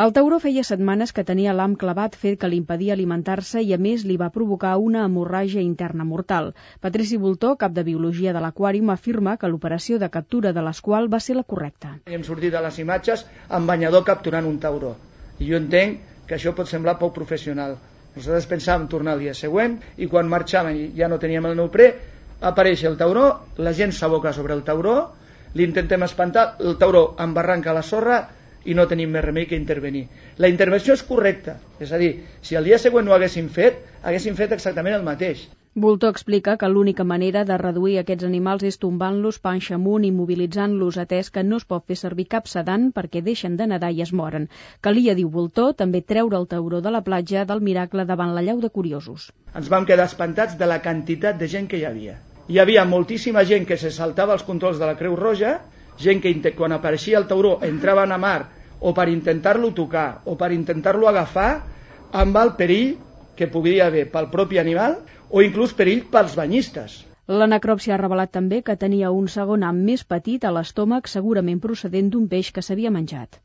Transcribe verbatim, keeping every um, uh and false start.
El tauró feia setmanes que tenia l'ham clavat, fet que li impedia alimentar-se i a més li va provocar una hemorràgia interna mortal. Patrici Bultó, cap de Biologia de l'Aquàrium, afirma que l'operació de captura de l'esqual va ser la correcta. Hem sortit a les imatges amb banyador capturant un tauró i jo entenc que això pot semblar poc professional. Nosaltres pensàvem tornar el dia següent i quan marxàvem i ja no teníem el neoprè, apareix el tauró, la gent s'aboca sobre el tauró, l'intentem espantar, el tauró embarranca la sorra i no tenim més remei que intervenir. La intervenció és correcta, és a dir, si el dia següent no ho haguéssim fet, haguéssim fet exactament el mateix. Bultó explica que l'única manera de reduir aquests animals és tombant-los panxa amunt i mobilitzant-los, atès que no es pot fer servir cap sedant perquè deixen de nedar i es moren. Calia, diu Bultó, també treure el tauró de la platja del Miracle davant la llau de curiosos. Ens vam quedar espantats de la quantitat de gent que hi havia. Hi havia moltíssima gent que se saltava els controls de la Creu Roja, gent que quan apareixia el tauró entraven a mar o per intentar-lo tocar o per intentar-lo agafar amb el perill que podria haver pel propi animal o inclús perill pels banyistes. La necròpsia ha revelat també que tenia un segon ham més petit a l'estómac, segurament procedent d'un peix que s'havia menjat.